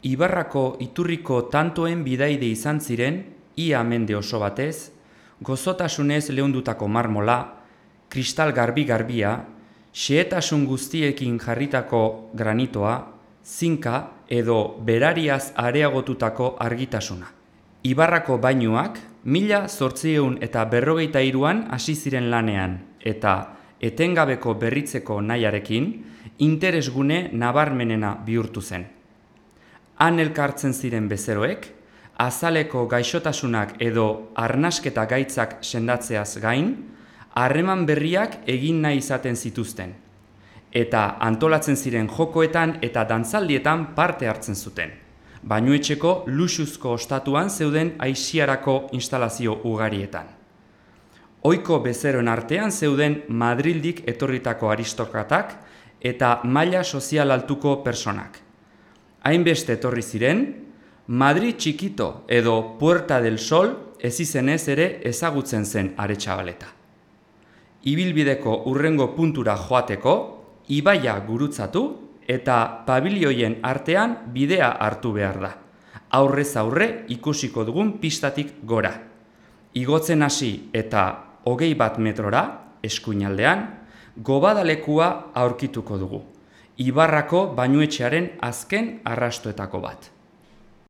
Ibarrako iturriko tantoen bidaide izan ziren, ia mende oso batez, gozotasunez leundutako marmola, kristal garbi-garbia, xehetasun guztiekin jarritako granitoa, zinka edo berariaz areagotutako argitasuna. Ibarrako bainuak 1853an hasi ziren lanean eta etengabeko berritzeko nahiarekin interesgune nabarmenena bihurtu zen. Han elkartzen ziren bezeroek, azaleko gaixotasunak edo arnasketa gaitzak sendatzeaz gain, harreman berriak egin nahi izaten zituzten, eta antolatzen ziren jokoetan eta dantzaldietan parte hartzen zuten. Bainuetxeko luxuzko ostatuan zeuden aisiarako instalazio ugarietan. Ohiko bezeroen artean zeuden Madrildik etorritako aristokratak eta maila sozial altuko personak. Hainbeste etorri ziren, Madrid txikito edo Puerta del Sol ezizenez ere ezagutzen zen Aretxabaleta. Ibilbideko hurrengo puntura joateko, ibaia gurutzatu eta pabilioien artean bidea hartu behar da. Aurrez aurre ikusiko dugun pistatik gora. Igotzen hasi eta 21 metrora, eskuinaldean, gobadalekua aurkituko dugu. Ibarrako bainuetxearen azken arrastoetako bat.